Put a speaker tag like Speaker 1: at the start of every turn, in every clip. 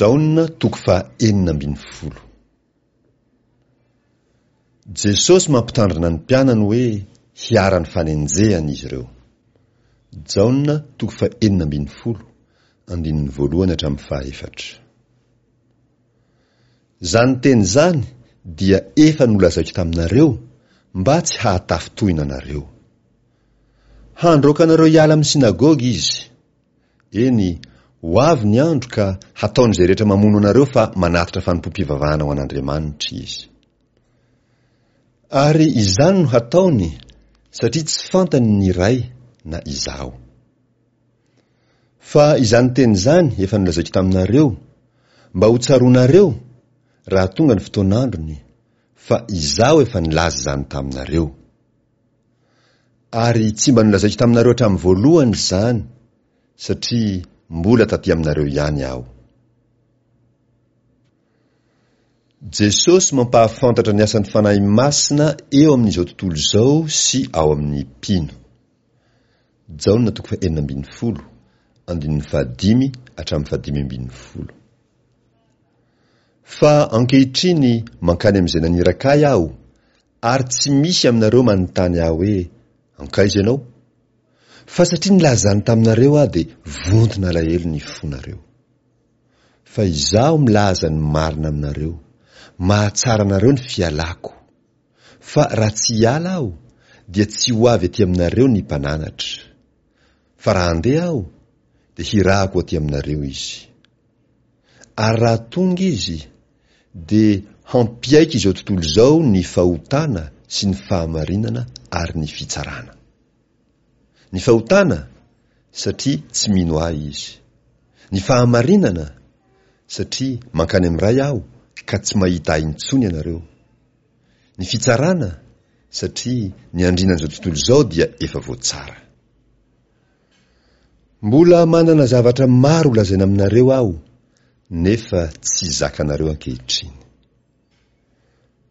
Speaker 1: Jaona toko faha 16. Jesosy mampitandrina ny mpianany hoe hiharan'ny fanenjehana izy ireo. Jaona toko faha 16, andininy voalohany hatramin'ny faha efatra. Izany teny izany dia efa nolazaiko taminareo mba tsy hahatafintohina anareo. Handroaka anareo hiala amin'ny synagoga izy. Eny, ho avy ny andro ka hataon'izay rehetra mamono anareo fa manatitra fanompoam-pivavahana ho an'Andriamanitra izy. Ary izany no hataony satria tsy fantany ny Ray na Izaho. Fa izany teny izany efa nolazaiko taminareo, mba ho tsaroanareo, raha tonga ny fotoan'androny, fa Izaho efa nilaza izany taminareo. Ary tsy mba nolazaiko taminareo hatramin'ny voalohany izany, satria mbola taty aminareo ihany Aho. Jesosy mampahafantatra ny asan'ny Fanahy Masina eo amin'izao tontolo izao sy ao amin'ny mpino. Jaona toko fahenina ambin'ny folo, andininy fahadimy hatramin'ny fahadimy ambin'ny folo. Fa ankehitriny mankany amin'izay naniraka Ahy Aho, Ary tsy misy aminareo manontany ahy hoe, Hankaiza ianao? Fa satria nilaza izany taminareo aho dia vonton'alahelo ny fonareo. Fa izaho milaza ny marina aminareo, mahatsara anareo ny fialako. Fa raha tsy hiala aho, dia tsy ho avy aty aminareo ny Mpananatra. Fa raha handeha aho, dia hirahako ho aty aminareo izy. Ary raha tonga izy, dia hampiaiky izao tontolo izao ny fahotana sy ny fahamarinana ary ny fitsarana. Ny fahotana, satria tsy mino Ahy izy. Ny fahamarinana, satria mankany amin'ny Ray Aho ka tsy mahita Ahy intsony ianareo. Ny fitsarana, satria ny andrinan'izao tontolo izao dia efa voatsara. Mbola manana zavatra maro holazaina aminareo aho, nefa tsy zakanareo ankehitriny.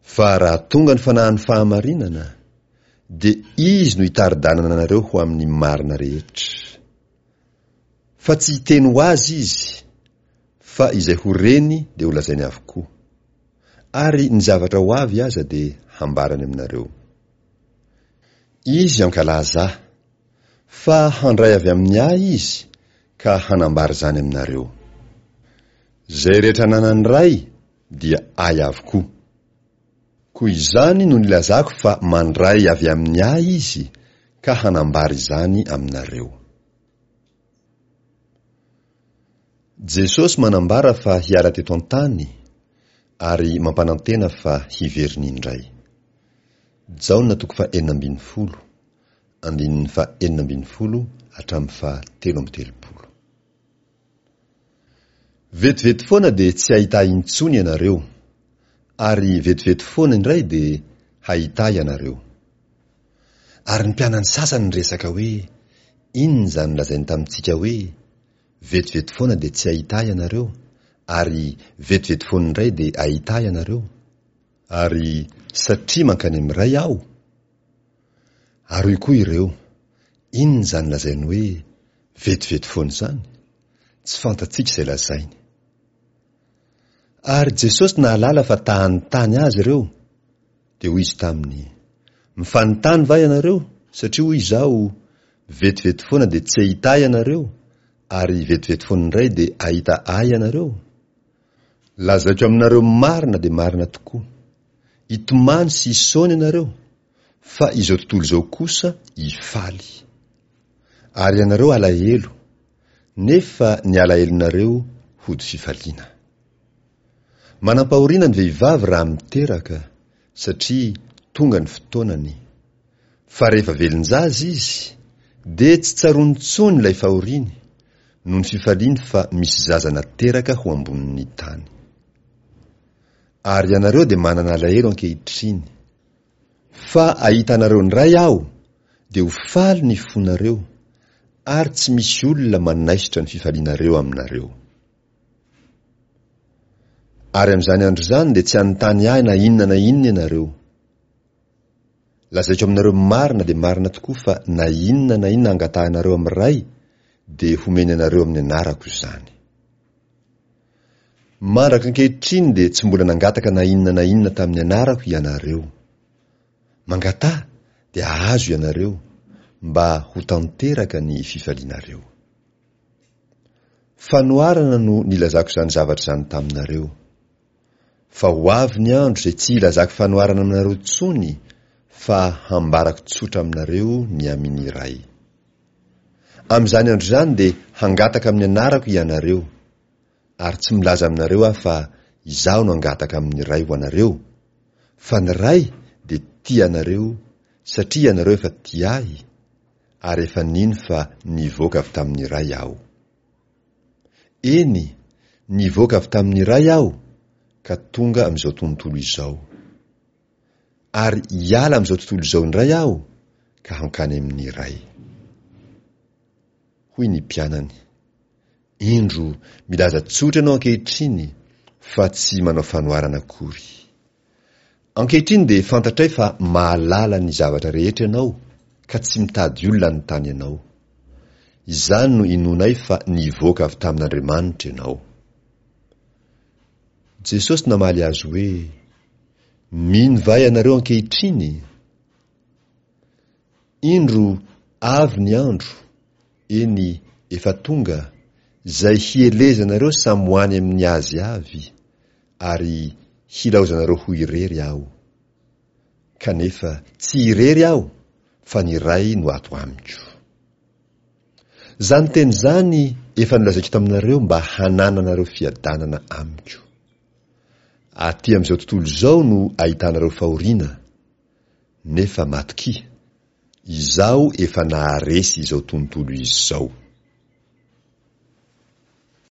Speaker 1: Fa raha tonga ny Fanahin'ny fahamarinana, dia Izy no hitari-dalana anareo ho amin'ny marina rehetra. Fa tsy hiteny ho azy Izy, fa izay ho reny dia holazainy avokoa. Ary ny zavatra ho avy aza dia hambarany aminareo. Izy hankalaza Ahy. Fa handray avy amin'ny Ahy Izy ka hanambara izany aminareo. Izay rehetra ananan'ny Ray dia Ahy avokoa. Koa izany no nilazako fa mandray avy amin'ny Ahy Izy ka hanambara izany aminareo. Jesosy manambara fa hiala teto an-tany ary mampanantena fa hiverina indray. Jaona toko faha-16. andininy faha-16 hatramin'ny faha-33. Vetivety foana dia tsy hahita ahy intsony ianareo, ary vetivety foana indray dia hahita ahy ianareo. Ary ny mpianany sasany niresaka hoe, Inona izany lazainy tamintsika hoe, Vetivety foana dia tsy hahita ahy ianareo, ary vetivety foana indray dia hahita ahy ianareo? Ary satria mankany amin'ny Ray aho? Ary hoy koa ireo, Inona izany lazainy hoe, 'Vetivety foana' izany? Tsy fantatsika izay lazainy. Ary Jesosy nahalala fa ta-hanontany Azy ireo, dia hoy Izy taminy, Mifanontany va ianareo, satria hoy Izaho, 'Vetivety foana dia tsy hahita Ahy ianareo, ary vetivety foana indray dia hahita Ahy ianareo'? Lazaiko aminareo marina dia marina tokoa, hitomany sy hisaona ianareo, fa izao tontolo izao kosa hifaly. Ary ianareo halahelo, nefa ny alahelonareo hody fifaliana. Manam-pahoriana ny vehivavy raha miteraka, satria tonga ny fotoanany. Fa rehefa velon-jaza izy, dia tsy tsaroany intsony ilay fahoriany, noho ny fifaliany fa misy zaza nateraka ho ambonin'ny tany. Ary ianareo dia manana alahelo ankehitriny. Fa hahita anareo indray aho, dia ho faly ny fonareo, ary tsy misy olona manaisotra ny fifalianareo aminareo. Ary amin'izany andro izany dia tsy hanontany ahy na inona na inona ianareo. Lazaiko aminareo marina dia marina tokoa fa na inona na inona angatahinareo amin'ny Ray, dia homeny anareo amin'ny anarako izany. Mandraka ankehitriny dia tsy mbola nangataka na inona na inona tamin'ny anarako ianareo. Mangataha dia hahazo ianareo, mba ho tanteraka ny fifalianareo. Fanoharana no nilazako izany zavatra izany taminareo. Fa ho avy ny andro izay tsy hilazako fanoharana aminareo intsony fa hambarako tsotra aminareo ny amin' ny Ray. Amin'izany andro izany dia hangataka amin'ny anarako hianareo, ary tsy milaza aminareo aho fa izaho no hangataka amin'ny Ray ho anareo, fa ny Ray dia tia anareo satria ianareo efa tia ahy, ary efa nino fa nivoaka avy tamin'ny Ray aho. Eny, nivoaka avy tamin'ny Ray aho ka tonga amin'izao tontolo izao. Ary hiala amin'izao tontolo izao indray aho ka hankany amin'ny Ray. Hoy ny mpianany, Indro milaza tsotra ianao ankehitriny fa tsy manao fanoharana akory. Ankehitriny dia fantatray fa mahalala ny zavatra rehetra ianao ka tsy mitady olona hanontany anao. Izany no inoanay fa nivoaka avy tamin'Andriamanitra ianao. Jesosy namaly azy hoe, Mino va ianareo ankehitriny? Indro avy ny andro, eny, efa tonga, izay hielezanareo samy ho any amin'ny azy avy, ary hilaozanareo ho irery Aho. Kanefa tsy irery Aho, fa ny Ray no ato amiko. Izany teny izany efa nolazaiko taminareo mba hanananareo fiadanana amiko. Aty amin'izao tontolo izao no ahitanareo fahoriana, nefa matokia, Izaho efa naharesy izao tontolo izao.